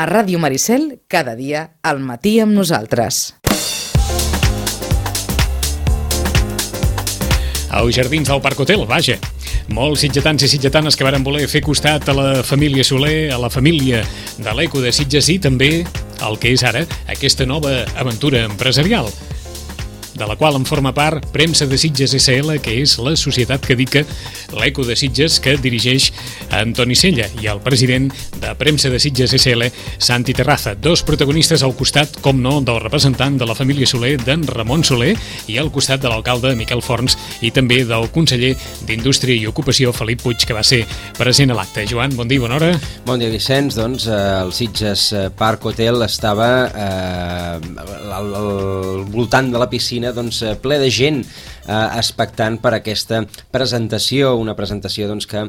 A Ràdio Maricel, cada dia, al matí amb nosaltres. Als jardins del Parc Hotel, vaja. Molts sitgetans i sitgetanes que varen voler fer costat a la família Soler, a la família de l'Eco de Sitges i també el que és ara aquesta nova aventura empresarial, de la qual en forma part Premsa de Sitges SL, que és la societat que dedica l'Eco de Sitges, que dirigeix Antoni Sella, i el president de Premsa de Sitges SL, Santi Terraza. Dos protagonistes al costat, com no, del representant de la família Soler, d'en Ramon Soler, i al costat de l'alcalde Miquel Forns i també del conseller d'Indústria i Ocupació, Felip Puig, que va ser present a l'acte. Joan, bon dia, bona hora. Bon dia, Vicenç. Doncs el Sitges Park Hotel estava al voltant de la piscina ple de gent expectant per aquesta presentació, una presentació que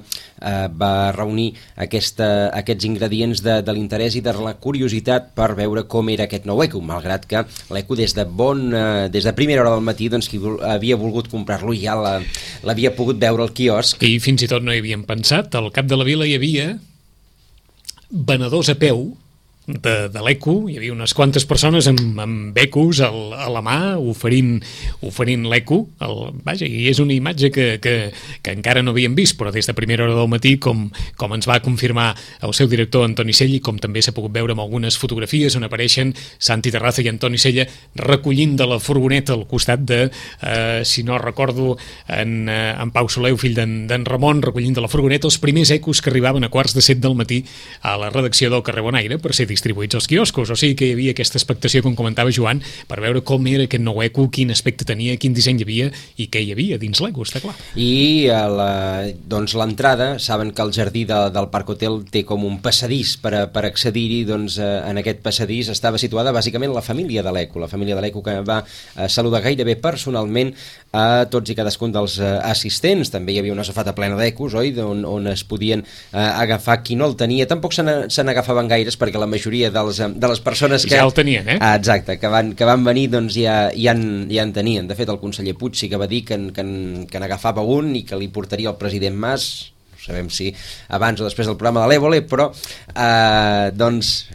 va reunir aquests ingredients de l'interès i de la curiositat per veure com era aquest nou Eco, malgrat que l'Eco des de primera hora del matí qui havia volgut comprar-lo ja l'havia pogut veure al quiosc. I fins i tot no hi havíem pensat, al cap de la vila hi havia venedors a peu de l'Eco, hi havia unes quantes persones amb ecos a la mà oferint l'Eco. Vaja, i és una imatge que encara no havíem vist, però des de primera hora del matí, com ens va confirmar el seu director Antoni Sella, i com també s'ha pogut veure amb algunes fotografies on apareixen Santi Terraza i Antoni Sella recollint de la furgoneta al costat de, si no recordo, en Pau Soler, fill d'en Ramon, recollint de la furgoneta els primers ecos que arribaven a 6:45 del matí a la redacció del carrer Bonaire per ser distribuïts als quioscos. O sigui que hi havia aquesta expectació, com comentava Joan, per veure com era aquest nou Eco, quin aspecte tenia, quin disseny hi havia i què hi havia dins l'Eco, està clar. I l'entrada, saben que el jardí del Parc Hotel té com un passadís per accedir-hi. En aquest passadís estava situada bàsicament la família de l'Eco, que va saludar gairebé personalment a tots i cadascun dels assistents. També hi havia una safata plena d'ecos, oi?, on es podien agafar qui no el tenia. Tampoc se n'agafaven gaires, perquè la majoria de les persones que... Ja el tenien, eh? Exacte, que van venir ja en tenien. De fet, el conseller Puig sí que va dir que n'agafava un i que li portaria el president Mas. Sabem si abans o després del programa de l'Évole, però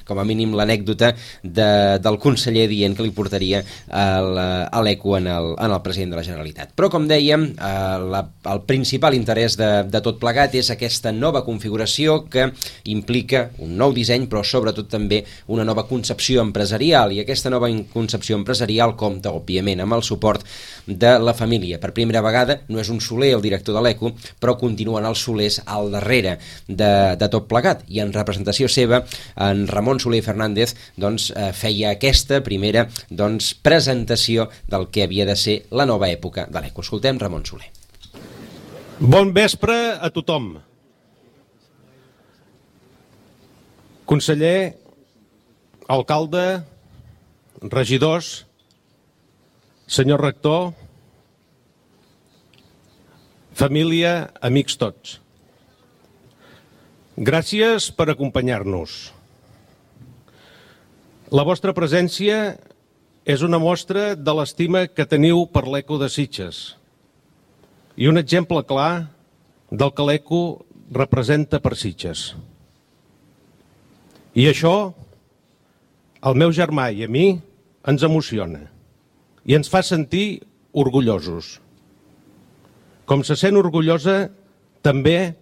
com a mínim l'anècdota del conseller dient que li portaria l'Eco en el president de la Generalitat. Però, com dèiem, el principal interès de tot plegat és aquesta nova configuració que implica un nou disseny, però sobretot també una nova concepció empresarial, i aquesta nova concepció empresarial compta, òbviament, amb el suport de la família. Per primera vegada no és un Soler el director de l'Eco, però continuen els Solers al darrere de tot plegat, i en representació seva en Ramon Soler Fernández feia aquesta primera presentació del que havia de ser la nova època de l'Eco. Escoltem Ramon Soler. Bon vespre a tothom. Conseller, alcalde, regidors, senyor rector, família, amics tots. Gràcies per acompanyar-nos. La vostra presència és una mostra de l'estima que teniu per l'Eco de Sitges i un exemple clar del que l'Eco representa per Sitges. I això, al meu germà i a mi, ens emociona i ens fa sentir orgullosos. Com se sent orgullosa també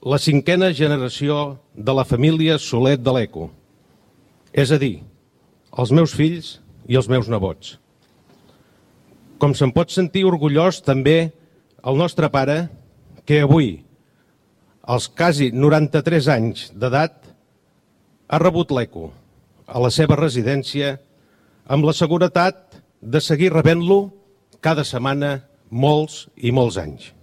la 5a generació de la família Soler de l'Eco, és a dir, els meus fills i els meus nebots. Com se'n pot sentir orgullós també el nostre pare, que avui, als quasi 93 anys d'edat, ha rebut l'Eco a la seva residència amb la seguretat de seguir rebent-lo cada setmana molts i molts anys.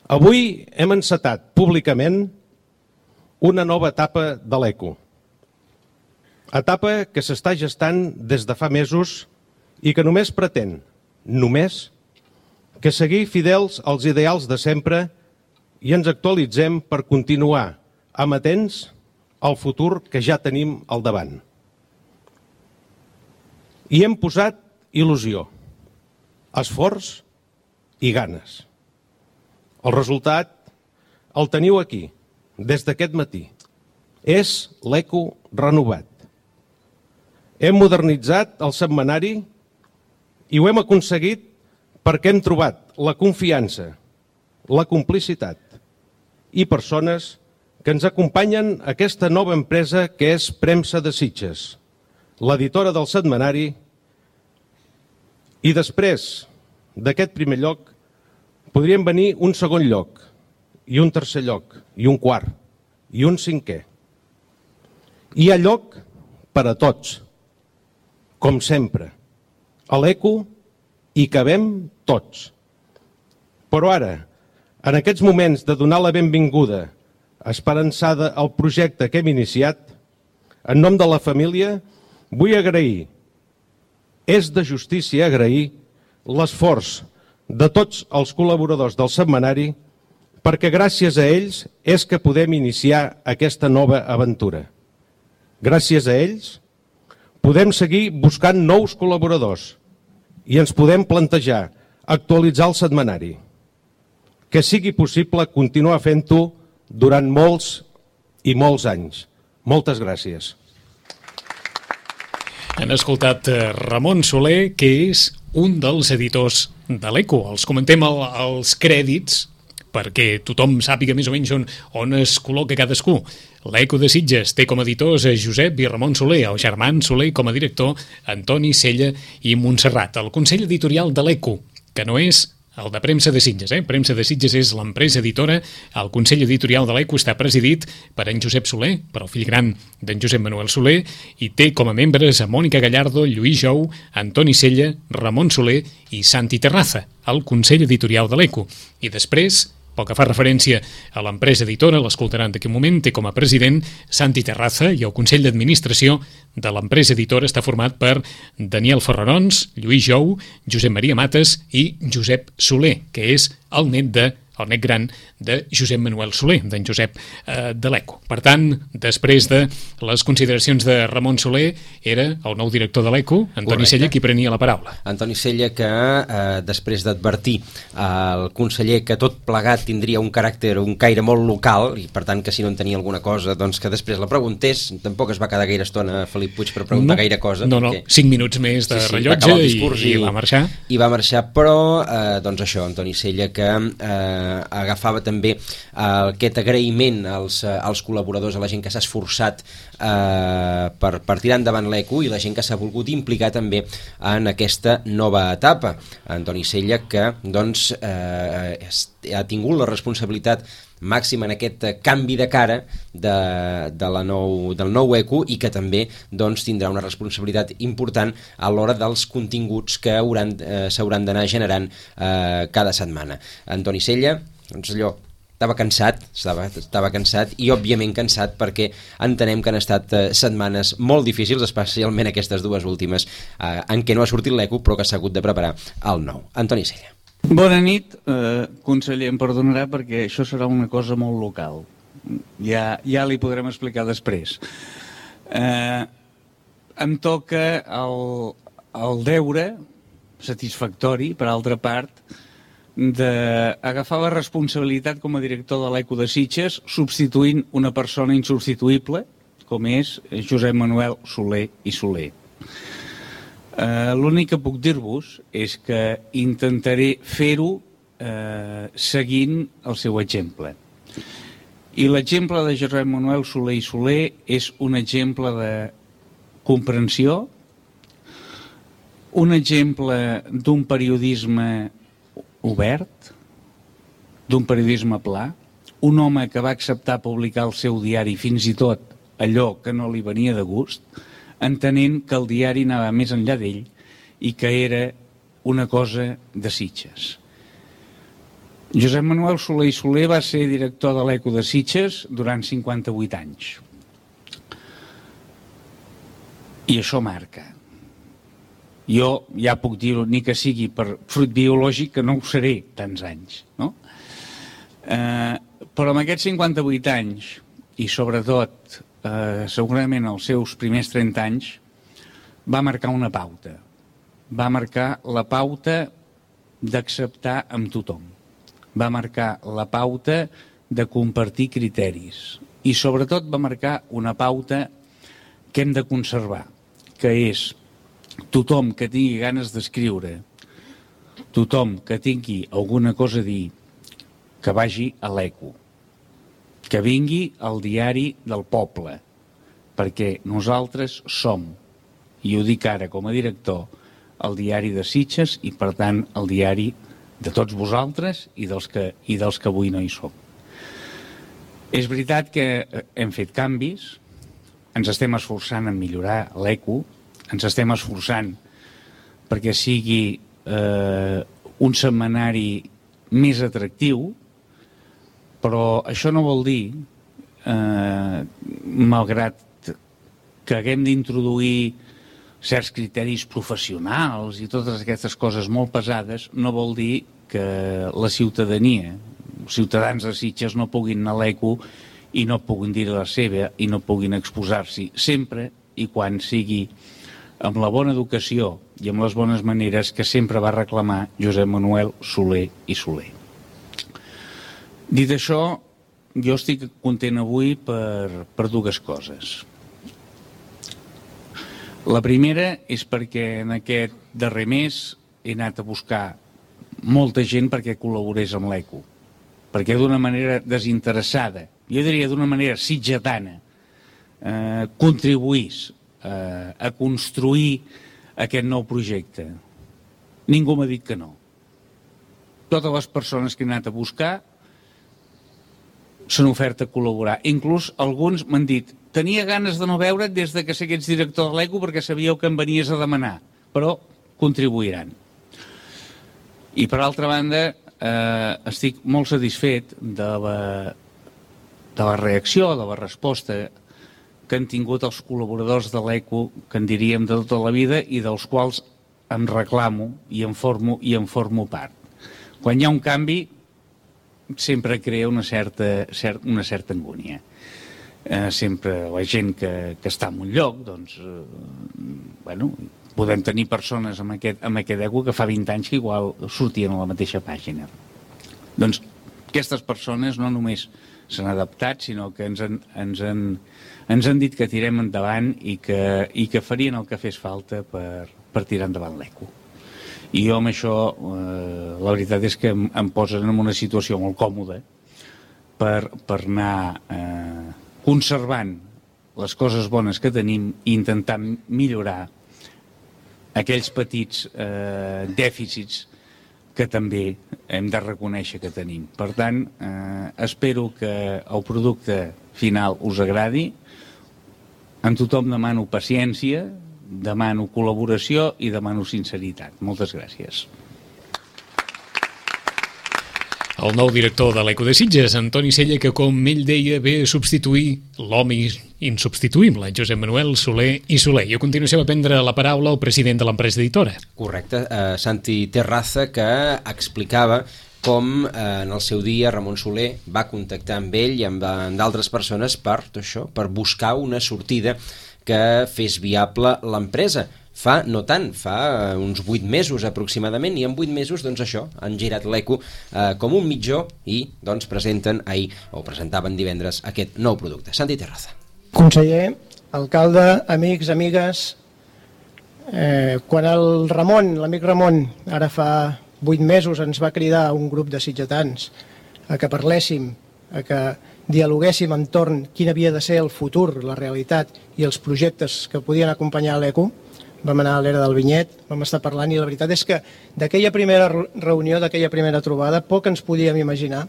Avui hem encetat públicament una nova etapa de l'Eco. Etapa que s'està gestant des de fa mesos i que només pretén, que seguir fidels als ideals de sempre i ens actualitzem per continuar amatents al futur que ja tenim al davant. Hi hem posat il·lusió, esforç i ganes. El resultat el teniu aquí, des d'aquest matí. és l'ECO renovat. Hem modernitzat el setmanari i ho hem aconseguit perquè hem trobat la confiança, la complicitat i persones que ens acompanyen a aquesta nova empresa que és Premsa de Sitges, l'editora del setmanari, i després d'aquest primer lloc podrien venir un segon lloc, i un tercer lloc, i un quart, i un cinquè. Hi ha lloc per a tots, com sempre. A l'ECO hi cabem tots. Però ara, en aquests moments de donar la benvinguda esperançada al projecte que hem iniciat, en nom de la família, vull agrair, és de justícia agrair, l'esforç de tots els col·laboradors del setmanari, perquè gràcies a ells és que podem iniciar aquesta nova aventura. Gràcies a ells podem seguir buscant nous col·laboradors i ens podem plantejar actualitzar el setmanari. Que sigui possible continuar fent-ho durant molts i molts anys. Moltes gràcies. Han escoltat Ramon Soler, que és un dels editors de l'ECO. Els comentem els crèdits perquè tothom sàpiga més o menys on es col·loca cadascú. L'ECO de Sitges té com a editors Josep i Ramon Soler, el Germán Soler com a director, Antoni Sella i Montserrat. El Consell Editorial de l'ECO, que no és el de Premsa de Sitges. Premsa de Sitges és l'empresa editora. El Consell Editorial de l'ECO està presidit per en Josep Soler, per el fill gran d'en Josep Manuel Soler, i té com a membres a Mònica Gallardo, Lluís Jou, Antoni Sella, Ramon Soler i Santi Terraza, el Consell Editorial de l'ECO. I després, pel que fa referència a l'empresa editora, l'escoltaran d'aquí un moment, té com a president Santi Terraza, i el Consell d'Administració de l'empresa editora està format per Daniel Ferrarons, Lluís Jou, Josep Maria Mates i Josep Soler, que és el net gran de Josep Manuel Soler, d'en Josep de l'ECO. Per tant, després de les consideracions de Ramon Soler, era el nou director de l'ECO, Antoni Sella, qui prenia la paraula. Antoni Sella, que després d'advertir al conseller que tot plegat tindria un caire molt local, i per tant que si no en tenia alguna cosa, doncs que després la preguntés. Tampoc es va quedar gaire estona Felip Puig per preguntar gaire cosa. No, 5 minuts més de rellotge i va marxar. I va marxar, però doncs això, Antoni Sella, que agafava també aquest agraïment als col·laboradors, a la gent que s'ha esforçat per tirar endavant l'ECO i la gent que s'ha volgut implicar també en aquesta nova etapa. Antoni Sella, que doncs ha tingut la responsabilitat màxima en aquest canvi de cara del nou ECO, i que també doncs, tindrà una responsabilitat important a l'hora dels continguts que s'hauran d'anar generant cada setmana. Antoni Sella, doncs allò, estava cansat i òbviament cansat perquè entenem que han estat setmanes molt difícils, especialment aquestes dues últimes en què no ha sortit l'ECO però que s'ha hagut de preparar el nou. Antoni Sella. Bona nit, conseller, em perdonarà perquè això serà una cosa molt local. Ja li podrem explicar després. Em toca el deure satisfactori, per altra part, d'agafar la responsabilitat com a director de l'ECO de Sitges substituint una persona insubstituïble com és Josep Manuel Soler i Soler. L'únic que puc dir-vos és que intentaré fer-ho seguint el seu exemple. I l'exemple de Josep Manuel Soler i Soler és un exemple de comprensió, un exemple d'un periodisme obert, d'un periodisme pla, un home que va acceptar publicar al seu diari fins i tot allò que no li venia de gust, entenent que el diari anava més enllà d'ell i que era una cosa de Sitges. Josep Manuel Soler i Soler va ser director de l'ECO de Sitges durant 58 anys. I això marca. Jo ja puc dir-ho, ni que sigui per fruit biològic, que no ho seré tants anys, no? Però amb aquests 58 anys, i sobretot segurament els seus primers 30 anys, va marcar una pauta. Va marcar la pauta d'acceptar amb tothom. Va marcar la pauta de compartir criteris i sobretot va marcar una pauta que hem de conservar, que és tothom que tingui ganes d'escriure, tothom que tingui alguna cosa a dir, que vagi a l'Eco, que vingui al diari del poble, perquè nosaltres som, i ho dic ara com a director, el diari de Sitges i, per tant, el diari de tots vosaltres i dels que avui no hi som. És veritat que hem fet canvis, ens estem esforçant en millorar l'Eco, ens estem esforçant perquè sigui un setmanari més atractiu, però això no vol dir, malgrat que haguem d'introduir certs criteris professionals i totes aquestes coses molt pesades, no vol dir que la ciutadania, els ciutadans de Sitges no puguin anar a l'Eco i no puguin dir la seva i no puguin exposar-s'hi, sempre i quan sigui amb la bona educació i amb les bones maneres que sempre va reclamar Josep Manuel Soler i Soler. Dit això, jo estic content avui per dues coses. La primera és perquè en aquest darrer mes he anat a buscar molta gent perquè col·laborés amb l'Eco, perquè d'una manera desinteressada, jo diria d'una manera sitgetana, contribuís a construir aquest nou projecte. Ningú m'ha dit que no. Totes les persones que he anat a buscar s'han ofert a col·laborar. Inclús alguns m'han dit: tenia ganes de no veure't des que sé que ets director de l'Eco perquè sabíeu que em venies a demanar, però contribuiran. I per altra banda, estic molt satisfet de la reacció, de la resposta que han tingut els col·laboradors de l'Eco, que en diríem de tota la vida, i dels quals em reclamo i em formo part. Quan hi ha un canvi, sempre crea una certa angúnia. Sempre la gent que està en un lloc, doncs, podem tenir persones amb aquest Eco que fa 20 anys que igual sortien a la mateixa pàgina. Doncs aquestes persones no només s'han adaptat, sinó que ens han dit que tirem endavant i que farien el que fes falta per tirar endavant l'Eco. I jo amb això, la veritat és que em posen en una situació molt còmoda per anar conservant les coses bones que tenim i intentant millorar aquells petits dèficits que també hem de reconèixer que tenim. Per tant, espero que el producte final us agradi. En tothom demano paciència, demano col·laboració i demano sinceritat. Moltes gràcies. El nou director de l'Eco de Sitges, Antoni Sella, que, com ell deia, ve a substituir l'home insubstituïble, Josep Manuel Soler i Soler. I a continuació va prendre la paraula el president de l'empresa editora. Correcte, Santi Terraza, que explicava com en el seu dia Ramon Soler va contactar amb ell i amb d'altres persones per buscar una sortida que fes viable l'empresa. Fa uns 8 mesos aproximadament, i en 8 mesos han girat l'Eco com un mitjó i presentaven divendres aquest nou producte. Santi Terraza. Conseller, alcalde, amics, amigues, quan l'amic Ramon, ara fa 8 mesos, ens va cridar a un grup de sitgetans a que parléssim, a que dialoguéssim entorn quin havia de ser el futur, la realitat i els projectes que podien acompanyar l'Eco, vam anar a l'era del Vinyet, vam estar parlant, i la veritat és que d'aquella primera reunió, d'aquella primera trobada, poc ens podíem imaginar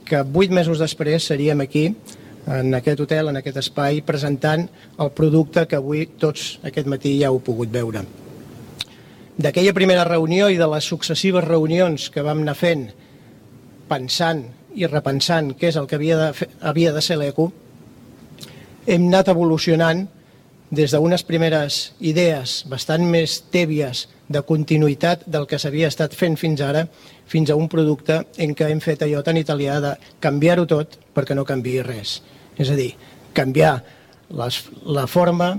que 8 mesos després seríem aquí, en aquest hotel, en aquest espai, presentant el producte que avui tots aquest matí ja heu pogut veure. D'aquella primera reunió i de les successives reunions que vam anar fent, pensant i repensant què és el que havia de ser l'Eco, hem anat evolucionant des d'unes primeres idees bastant més tèbies de continuïtat del que s'havia estat fent fins ara, fins a un producte en què hem fet allò tan italià de canviar-ho tot perquè no canviï res. És a dir, canviar la forma,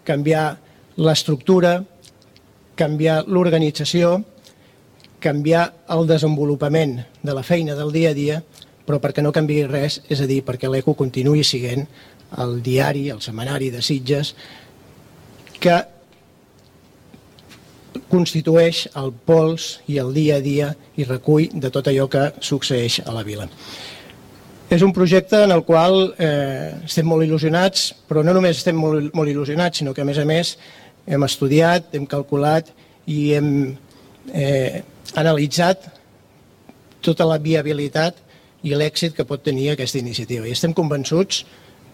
canviar l'estructura, canviar l'organització, canviar el desenvolupament de la feina del dia a dia però perquè no canviï res, és a dir, perquè l'ECO continuï sent el diari, el setmanari de Sitges, que constitueix el pols i el dia a dia i recull de tot allò que succeeix a la vila. És un projecte en el qual estem molt il·lusionats, però no només estem molt il·lusionats, sinó que a més hem estudiat, hem calculat i hem analitzat tota la viabilitat i l'èxit que pot tenir aquesta iniciativa. I estem convençuts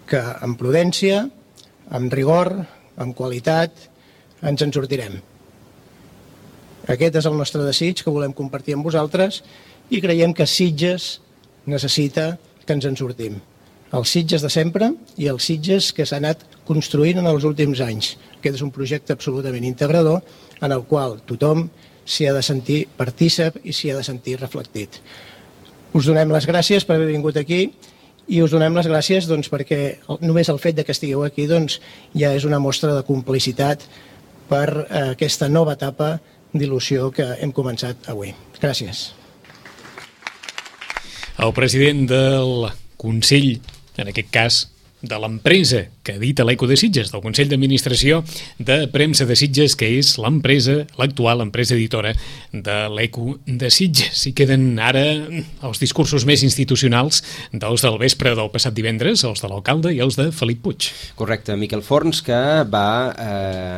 que amb prudència, amb rigor, amb qualitat, ens en sortirem. Aquest és el nostre desig que volem compartir amb vosaltres i creiem que Sitges necessita que ens en sortim. Els Sitges de sempre i els Sitges que s'ha anat construint en els últims anys. Aquest és un projecte absolutament integrador en el qual tothom s'hi ha de sentir partícip i s'hi ha de sentir reflectit. Us donem les gràcies per haver vingut aquí i us donem les gràcies perquè només el fet que estigueu aquí ja és una mostra de complicitat per aquesta nova etapa d'il·lusió que hem començat avui. Gràcies. El president del Consell, en aquest cas de l'empresa que edita l'Eco de Sitges, del Consell d'Administració de Premsa de Sitges, que és l'empresa, l'actual empresa editora de l'Eco de Sitges. I queden ara els discursos més institucionals dels del vespre del passat divendres, els de l'alcalde i els de Felip Puig. Correcte, Miquel Forns, que va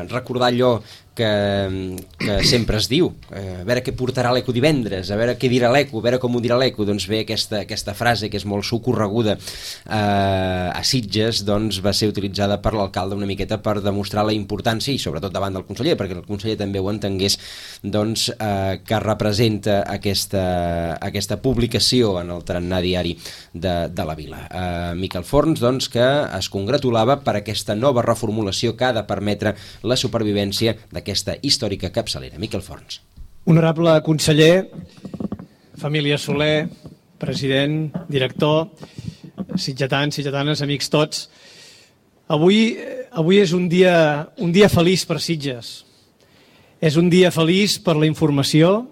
recordar allò que sempre es diu, a veure què portarà l'Eco divendres, a veure què dirà l'Eco, a veure com ho dirà l'Eco. Doncs bé, aquesta frase que és molt socorreguda a Sitges va ser utilitzada per l'alcalde una miqueta per demostrar la importància, i sobretot davant del conseller, perquè el conseller també ho entengués, que representa aquesta publicació en el tarannà diari de la vila. Miquel Forns, que es congratulava per aquesta nova reformulació que ha de permetre la supervivència d'aquesta històrica capçalera. Miquel Forns. Honorable conseller, família Soler, president, director, sitgetans, sitgetanes, amics tots, avui és un dia feliç per Sitges. És un dia feliç per la informació,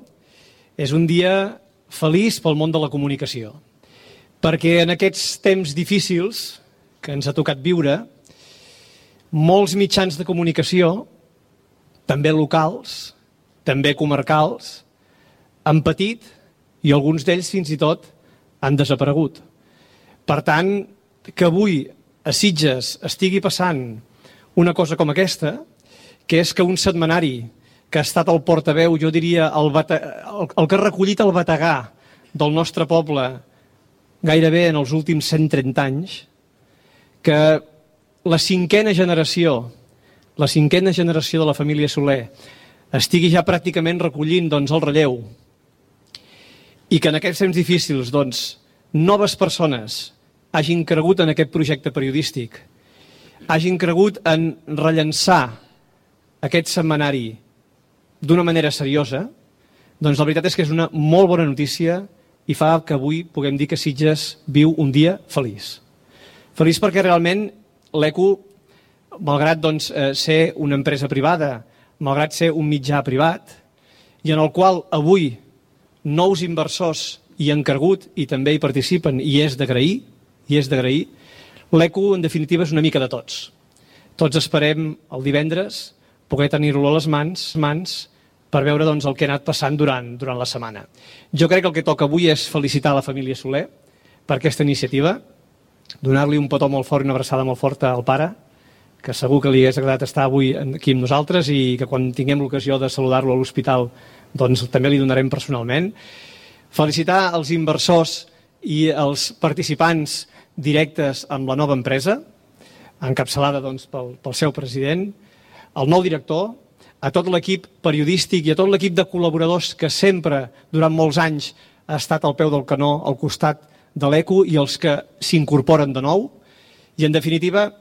és un dia feliç pel món de la comunicació. Perquè en aquests temps difícils que ens ha tocat viure, molts mitjans de comunicació, també locals, també comarcals, han patit i alguns d'ells fins i tot han desaparegut. Per tant, que avui a Sitges estigui passant una cosa com aquesta, que és que un setmanari que ha estat el portaveu, jo diria, el que ha recollit el bategà del nostre poble gairebé en els últims 130 anys, que la cinquena generació de la família Soler estigui ja pràcticament recollint el relleu i que en aquests temps difícils noves persones hagin cregut en aquest projecte periodístic, hagin cregut en rellançar aquest setmanari d'una manera seriosa, la veritat és que és una molt bona notícia i fa que avui puguem dir que Sitges viu un dia feliç. Feliç perquè realment l'Eco, malgrat ser una empresa privada, malgrat ser un mitjà privat, i en el qual avui nous inversors hi han cregut i també hi participen, i és d'agrair, l'Eco, en definitiva, és una mica de tots. Tots esperem el divendres poder tenir-lo a les mans per veure el que ha anat passant durant la setmana. Jo crec que el que toca avui és felicitar la família Soler per aquesta iniciativa, donar-li un petó molt fort i una abraçada molt forta al pare, que segur que li hagués agradat estar avui aquí amb nosaltres i que quan tinguem l'ocasió de saludar-lo a l'hospital també li donarem personalment. Felicitar els inversors i els participants directes amb la nova empresa, encapçalada pel seu president, el nou director, a tot l'equip periodístic i a tot l'equip de col·laboradors que sempre, durant molts anys, ha estat al peu del canó, al costat de l'Eco, i els que s'incorporen de nou, i en definitiva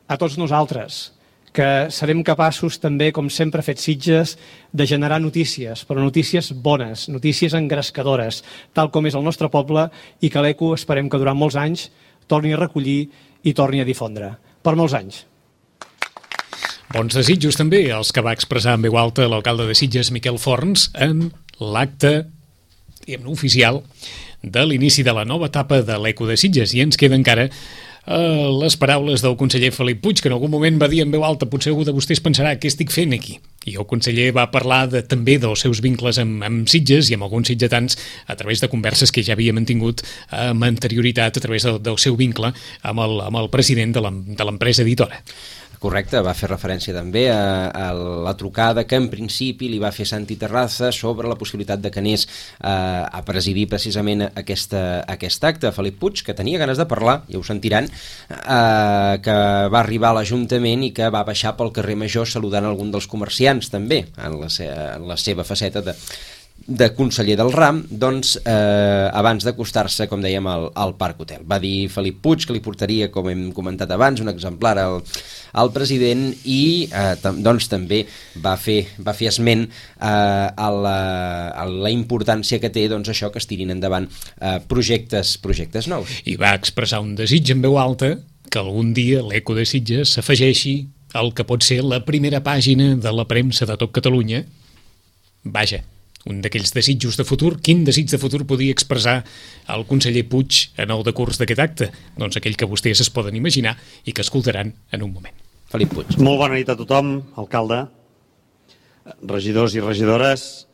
a tots nosaltres, que serem capaços també, com sempre ha fet Sitges, de generar notícies, però notícies bones, notícies engrescadores, tal com és el nostre poble, i que l'Eco esperem que durant molts anys torni a recollir i torni a difondre. Per molts anys. Bons desitjos també els que va expressar en veu alta l'alcalde de Sitges, Miquel Forns, en l'acte diguem-ne, oficial de l'inici de la nova etapa de l'Eco de Sitges, i ens queda encara les paraules del conseller Felip Puig, que en algun moment va dir en veu alta: potser algú de vostès pensarà què estic fent aquí. I el conseller va parlar també dels seus vincles amb Sitges i amb alguns sitgetans a través de converses que ja havia mantingut amb anterioritat a través del seu vincle amb el president de l'empresa editora. Correcte, va fer referència també a la trucada que en principi li va fer Santi Terraza sobre la possibilitat de que anés a presidir precisament aquest acte. Felip Puig, que tenia ganes de parlar, ja ho sentiran, que va arribar a l'Ajuntament i que va baixar pel carrer Major saludant algun dels comerciants també, en la seva faceta de conseller del RAM, doncs abans d'acostar-se, com dèiem, al Parc Hotel. Va dir Felip Puig que li portaria, com hem comentat abans, un exemplar al president i doncs també va fer esment a la importància que té, doncs, això, que es tirin endavant projectes nous. I va expressar un desig en veu alta que algun dia l'Eco de Sitges s'afegeixi al que pot ser la primera pàgina de la premsa de tot Catalunya. Vaja, un d'aquells desitjos de futur. Quin desig de futur podia expressar el conseller Puig en el decurs d'aquest acte? Doncs aquell que vostès es poden imaginar i que escoltaran en un moment. Felip Puig. Molt bona nit a tothom, alcalde, regidors i regidores,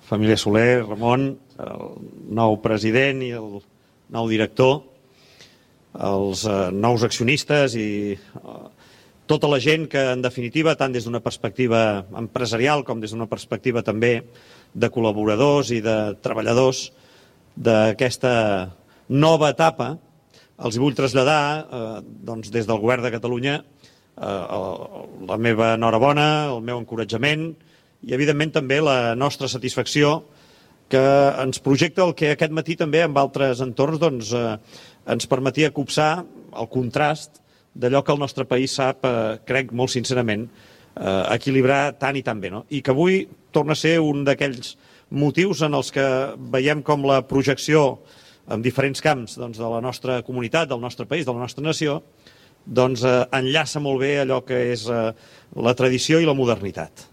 família Soler, Ramon, el nou president i el nou director, els nous accionistes i tota la gent que, en definitiva, tant des d'una perspectiva empresarial com des d'una perspectiva també de col·laboradors i de treballadors d'aquesta nova etapa, els vull traslladar, doncs, des del Govern de Catalunya, la meva enhorabona, el meu encoratjament i, evidentment, també la nostra satisfacció, que ens projecta el que aquest matí també en altres entorns doncs, ens permetia copsar el contrast d'allò que el nostre país sap, crec molt sincerament, equilibrar tant i tan bé, no? I que avui torna a ser un d'aquells motius en els que veiem com la projecció en diferents camps, doncs, de la nostra comunitat, del nostre país, de la nostra nació, doncs, enllaça molt bé allò que és la tradició i la modernitat.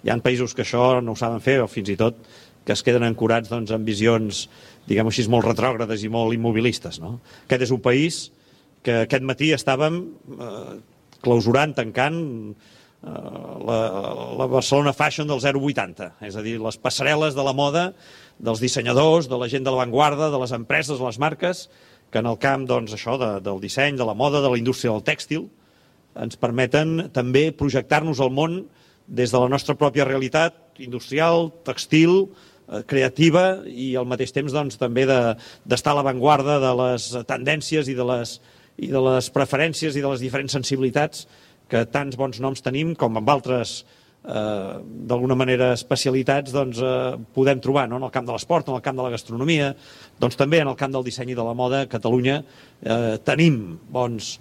Hi ha països que això no ho saben fer, o fins i tot que es queden ancorats, doncs, en visions, diguem-ho així, molt retrògrades i molt immobilistes, no? Aquest és un país que aquest matí estàvem clausurant, tancant la Barcelona Fashion del 080, és a dir, les passarel·les de la moda, dels dissenyadors, de la gent de l'avantguarda, de les empreses, de les marques, que en el camp, doncs, això, del disseny, de la moda, de la indústria del tèxtil, ens permeten també projectar-nos al món des de la nostra pròpia realitat industrial, textil, creativa i al mateix temps, doncs, també d'estar a l'avantguarda de les tendències i de les preferències i de les diferents sensibilitats que tants bons noms tenim, com amb altres, d'alguna manera, especialitats, doncs, podem trobar, no? En el camp de l'esport, en el camp de la gastronomia, doncs també en el camp del disseny i de la moda, a Catalunya tenim bons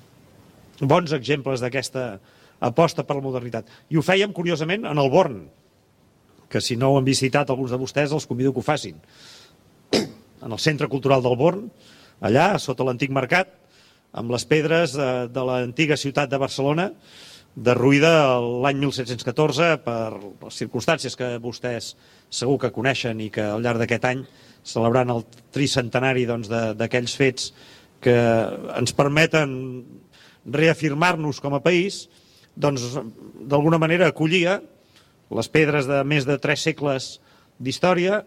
exemples d'aquesta aposta per la modernitat. I ho fèiem, curiosament, en el Born, que si no ho han visitat alguns de vostès, els convido que ho facin. En el Centre Cultural del Born, allà, sota l'antic mercat, amb les pedres de l'antiga ciutat de Barcelona, derruïda l'any 1714 per les circumstàncies que vostès segur que coneixen i que al llarg d'aquest any, celebrant el tricentenari d'aquells fets que ens permeten reafirmar-nos com a país, doncs d'alguna manera acollia les pedres de més de 3 segles d'història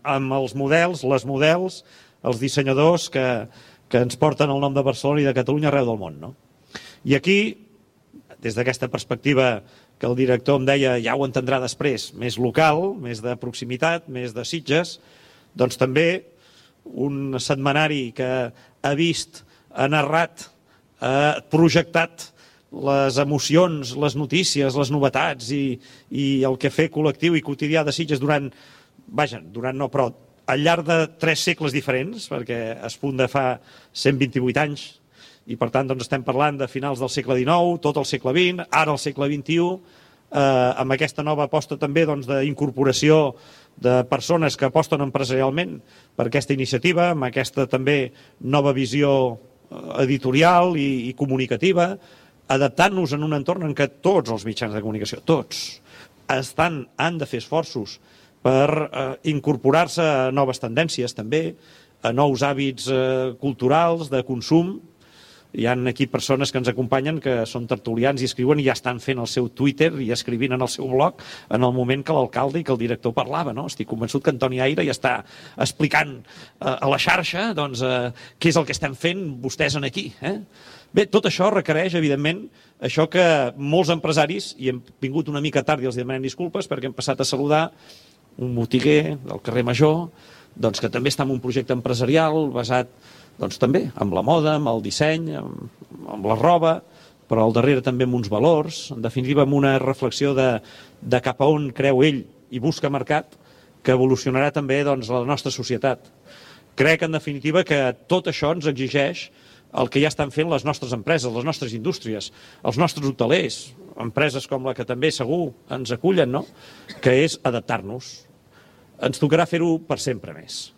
amb els models, les models, els dissenyadors que ens porten el nom de Barcelona i de Catalunya arreu del món, no? I aquí, des d'aquesta perspectiva que el director em deia, ja ho entendrà després, més local, més de proximitat, més de Sitges, doncs també un setmanari que ha vist, ha narrat, ha projectat les emocions, les notícies, les novetats i el que fer col·lectiu i quotidià de Sitges durant no, però al llarg de 3 segles diferents, perquè es funda fa 128 anys, i per tant doncs, estem parlant de finals del segle XIX, tot el segle XX, ara el segle XXI, amb aquesta nova aposta també d'incorporació de persones que aposten empresarialment per aquesta iniciativa, amb aquesta també nova visió editorial i comunicativa, adaptant-nos en un entorn en què tots els mitjans de comunicació, tots, han de fer esforços per incorporar-se a noves tendències també, a nous hàbits culturals, de consum. Hi ha aquí persones que ens acompanyen que són tertulians i escriuen i ja estan fent el seu Twitter i escrivint en el seu blog en el moment que l'alcalde i que el director parlava, no? Estic convençut que Antoni Aire ja està explicant a la xarxa doncs, què és el que estem fent vostès en aquí. Bé, tot això requereix, evidentment, això que molts empresaris, i hem vingut una mica tard i els demanem disculpes perquè hem passat a saludar un botiguer del carrer Major, doncs, que també està en un projecte empresarial basat doncs, també amb la moda, amb el disseny, amb la roba, però al darrere també amb uns valors, en definitiva amb una reflexió de cap a on creu ell i busca mercat, que evolucionarà també doncs, la nostra societat. Crec, en definitiva, que tot això ens exigeix el que ja estan fent les nostres empreses, les nostres indústries, els nostres hotelers, empreses com la que també segur ens acullen, no? Que és adaptar-nos. Ens tocarà fer-ho per sempre més.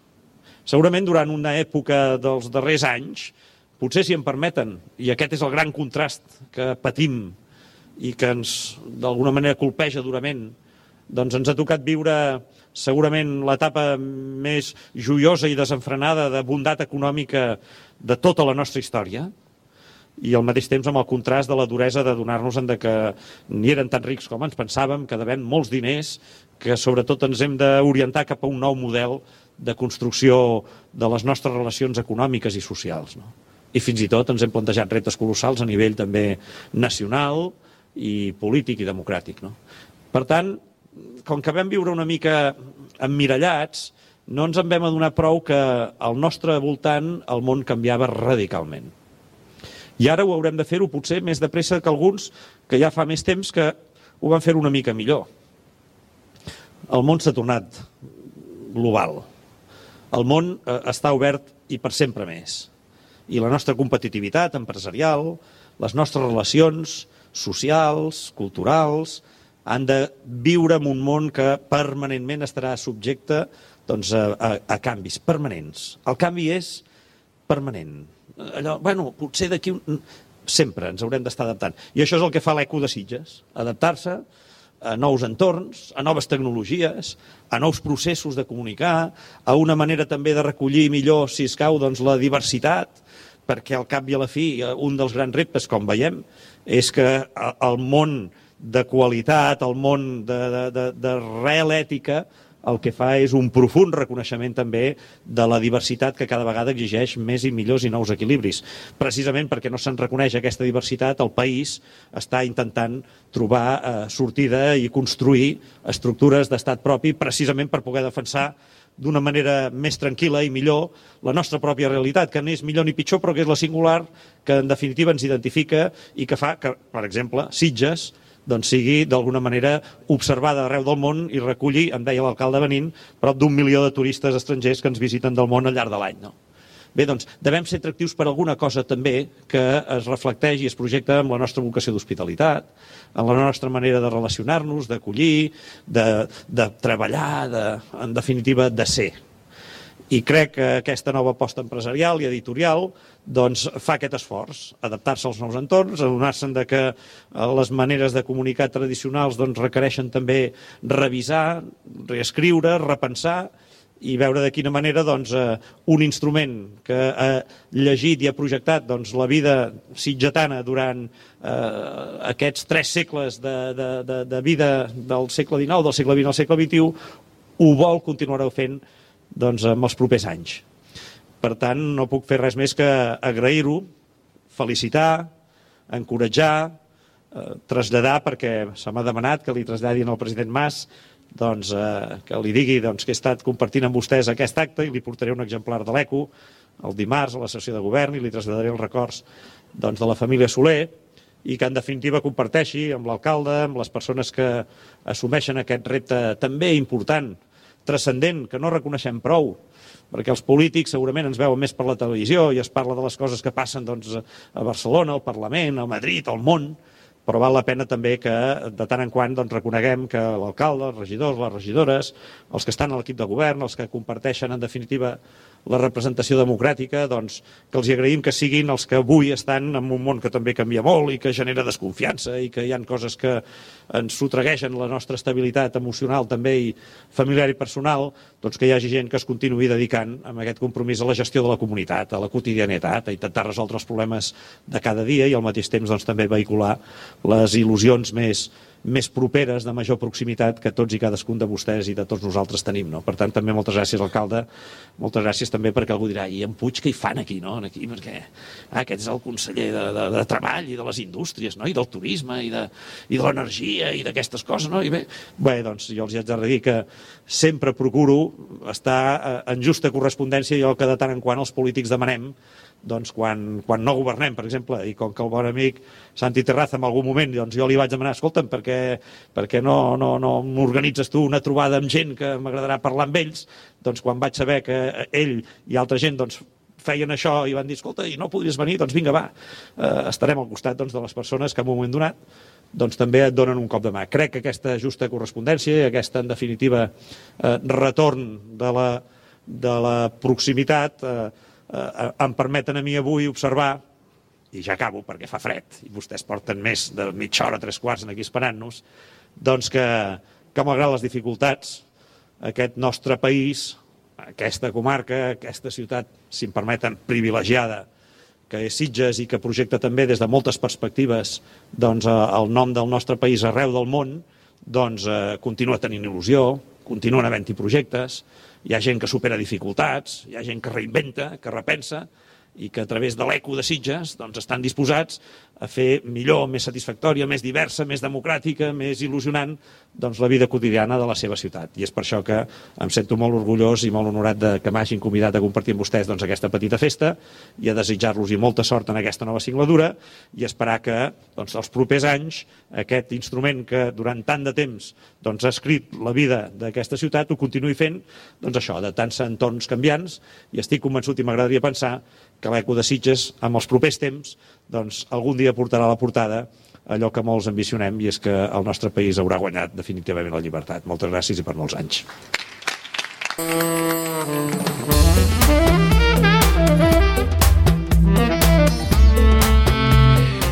Segurament durant una època dels darrers anys, potser si em permeten, i aquest és el gran contrast que patim i que ens d'alguna manera colpeja durament, doncs ens ha tocat viure segurament l'etapa més joiosa i desenfrenada de bondat econòmica de tota la nostra història, i al mateix temps amb el contrast de la duresa de donar-nos que ni eren tan rics com ens pensàvem, que devem molts diners, que sobretot ens hem d'orientar cap a un nou model de construcció de les nostres relacions econòmiques i socials. No? I fins i tot ens hem plantejat reptes colossals a nivell també nacional i polític i democràtic. No? Per tant, com que vam viure una mica emmirallats, no ens en vam adonar prou que al nostre voltant el món canviava radicalment. I ara ho haurem de fer-ho potser més de pressa que alguns que ja fa més temps que ho van fer una mica millor. El món s'ha tornat global. El món està obert i per sempre més. I la nostra competitivitat empresarial, les nostres relacions socials, culturals, han de viure en un món que permanentment estarà subjecte doncs, a canvis permanents. El canvi és permanent. Allò, potser d'aquí sempre ens haurem d'estar adaptant. I això és el que fa l'Eco de Sitges, adaptar-se a nous entorns, a noves tecnologies, a nous processos de comunicar, a una manera també de recollir millor, si escau, doncs, la diversitat, perquè al cap i a la fi un dels grans reptes, com veiem, és que el món de qualitat, el món de real ètica, el que fa és un profund reconeixement també de la diversitat que cada vegada exigeix més i millors i nous equilibris. Precisament perquè no se'n reconeix aquesta diversitat, el país està intentant trobar sortida i construir estructures d'estat propi precisament per poder defensar d'una manera més tranquil·la i millor la nostra pròpia realitat, que no és millor ni pitjor, però que és la singular, que en definitiva ens identifica i que fa que, per exemple, Sitges doncs sigui d'alguna manera observada arreu del món i reculli, em deia l'alcalde venint, prop d'1 milió de turistes estrangers que ens visiten del món al llarg de l'any. No? Bé, doncs, devem ser atractius per alguna cosa també que es reflecteix i es projecta amb la nostra vocació d'hospitalitat, en la nostra manera de relacionar-nos, d'acollir, de treballar, en definitiva, de ser. I crec que aquesta nova aposta empresarial i editorial doncs, fa aquest esforç, adaptar-se als nous entorns, adonar-se que les maneres de comunicar tradicionals doncs, requereixen també revisar, reescriure, repensar i veure de quina manera doncs, un instrument que ha llegit i ha projectat doncs, la vida sitgetana durant aquests 3 segles de vida del segle XIX, del segle XX al segle XXI, ho vol continuar fent doncs, en els propers anys. Per tant, no puc fer res més que agrair-ho, felicitar, encoratjar, traslladar, perquè se m'ha demanat que li traslladin al president Mas, doncs, que li digui doncs, que he estat compartint amb vostès aquest acte i li portaré un exemplar de l'ECO el dimarts a la sessió de govern i li traslladaré els records doncs, de la família Soler i que en definitiva comparteixi amb l'alcalde, amb les persones que assumeixen aquest repte també important, transcendent, que no reconeixem prou, perquè els polítics segurament ens veuen més per la televisió i es parla de les coses que passen doncs, a Barcelona, al Parlament, a Madrid, al món, però val la pena també que de tant en quant doncs, reconeguem que l'alcalde, els regidors, les regidores, els que estan a l'equip de govern, els que comparteixen en definitiva la representació democràtica, doncs, que els agraïm que siguin els que avui estan en un món que també canvia molt i que genera desconfiança i que hi ha coses que ens sotregueixen la nostra estabilitat emocional també i familiar i personal, doncs que hi hagi gent que es continuï dedicant amb aquest compromís a la gestió de la comunitat, a la quotidianitat, a intentar resoldre els problemes de cada dia i al mateix temps doncs, també vehicular les il·lusions més properes, de major proximitat, que tots i cadascun de vostès i de tots nosaltres tenim. No? Per tant, també moltes gràcies, alcalde, moltes gràcies també perquè algú dirà, i en Puig què hi fan aquí, no? Aquí perquè aquest és el conseller de Treball i de les indústries, no? I del turisme i de l'energia i d'aquestes coses, no? I bé, doncs jo els haig de dir que sempre procuro estar en justa correspondència i el que de tant en quant els polítics demanem, doncs quan no governem, per exemple, i com que el bon amic Santi Terraza en algun moment doncs jo li vaig demanar, escolta'm, perquè no m'organitzes tu una trobada amb gent que m'agradarà parlar amb ells, doncs quan vaig saber que ell i altra gent doncs feien això i van dir, escolta, i no podries venir, doncs vinga, va, estarem al costat doncs, de les persones que en un moment donat doncs també et donen un cop de mà. Crec que aquesta justa correspondència i aquesta, en definitiva, retorn de la proximitat em permeten a mi avui observar, i ja acabo perquè fa fred, i vostès porten més de mitja hora, 3/4 aquí esperant-nos, doncs que malgrat les dificultats, aquest nostre país, aquesta comarca, aquesta ciutat, si em permeten, privilegiada, que és Sitges i que projecta també des de moltes perspectives doncs, el nom del nostre país arreu del món, doncs continua tenint il·lusió, continuen havent-hi projectes, hi ha gent que supera dificultats, hi ha gent que reinventa, que repensa, i que a través de l'eco de Sitges doncs, estan disposats a fer millor, més satisfactòria, més diversa, més democràtica, més il·lusionant doncs, la vida quotidiana de la seva ciutat. I és per això que em sento molt orgullós i molt honorat que m'hagin convidat a compartir amb vostès doncs, aquesta petita festa i a desitjar-los molta sort en aquesta nova singladura i esperar que doncs, els propers anys aquest instrument que durant tant de temps doncs, ha escrit la vida d'aquesta ciutat ho continuï fent doncs, això, adaptant-se a entorns canviants i estic convençut i m'agradaria pensar que l'eco de Sitges, amb els propers temps, doncs, algun dia portarà a la portada allò que molts ambicionem i és que el nostre país haurà guanyat definitivament la llibertat. Moltes gràcies i per molts anys.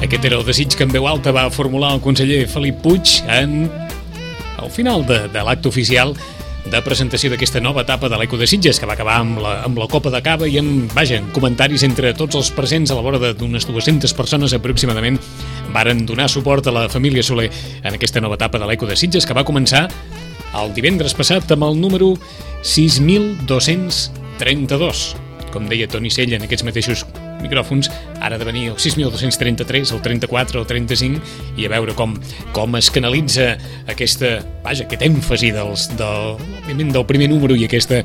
Aquest era el desig que en veu alta va formular el conseller Felip Puig al final de l'acte oficial de presentació d'aquesta nova etapa de l'Eco de Sitges, que va acabar amb la copa de cava i amb comentaris entre tots els presents a la vora d'unes 200 persones aproximadament varen donar suport a la família Soler en aquesta nova etapa de l'Eco de Sitges, que va començar el divendres passat amb el número 6.232. Com deia Toni Sella en aquests mateixos micròfons, ara de venir el 6.233, el 34, el 35, i a veure com es canalitza aquest èmfasi del primer número i aquesta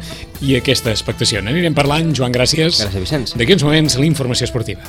expectació. N'anirem parlant. Joan, gràcies. Gràcies, Vicenç. D'aquí uns moments, la informació esportiva.